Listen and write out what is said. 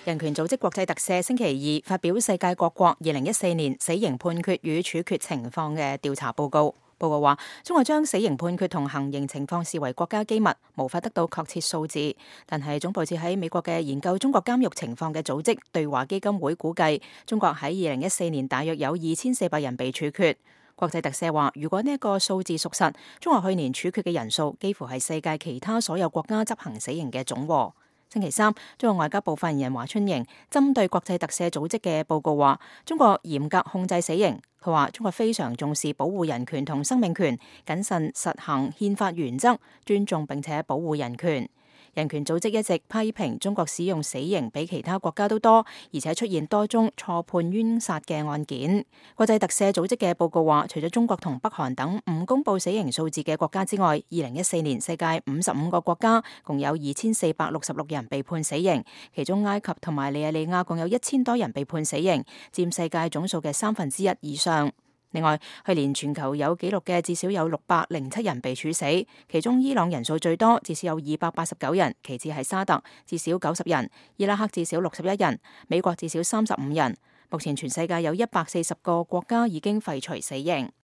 人權組織國際特赦星期二發表世界各國2014年死刑判決與處決情況嘅調查報告。報告話，中國將死刑判決同行刑情況視為國家機密，無法得到確切數字。但係總部設喺美國嘅研究中國監獄情況嘅組織對話基金會估計，中國喺2014年大約有2400人被處決。國際特赦話，如果呢一個數字屬實，中國去年處決嘅人數幾乎係世界其他所有國家執行死刑嘅總和。星期三，中國外交部發言人華春瑩針對國際特赦組織嘅報告話，中國嚴格控制死刑。佢話中國非常重視保護人權同生命權，謹慎實行憲法原則，尊重並且保護人權。人權組織一直批評中國使用死刑比其他國家都多，而且出現多宗錯判冤殺嘅案件。國際特赦組織嘅報告話，除咗中國同北韓等唔公布死刑數字嘅國家之外，2014年世界55個國家共有2466人被判死刑，其中埃及同埋尼日利亞共有1000多人被判死刑，佔世界總數嘅1/3以上。另外，去年全球有紀錄嘅至少有607人被處死，其中伊朗人數最多，至少有289人，其次係沙特，至少90人，伊拉克至少61人，美國至少35人。目前全世界有140個國家已經廢除死刑。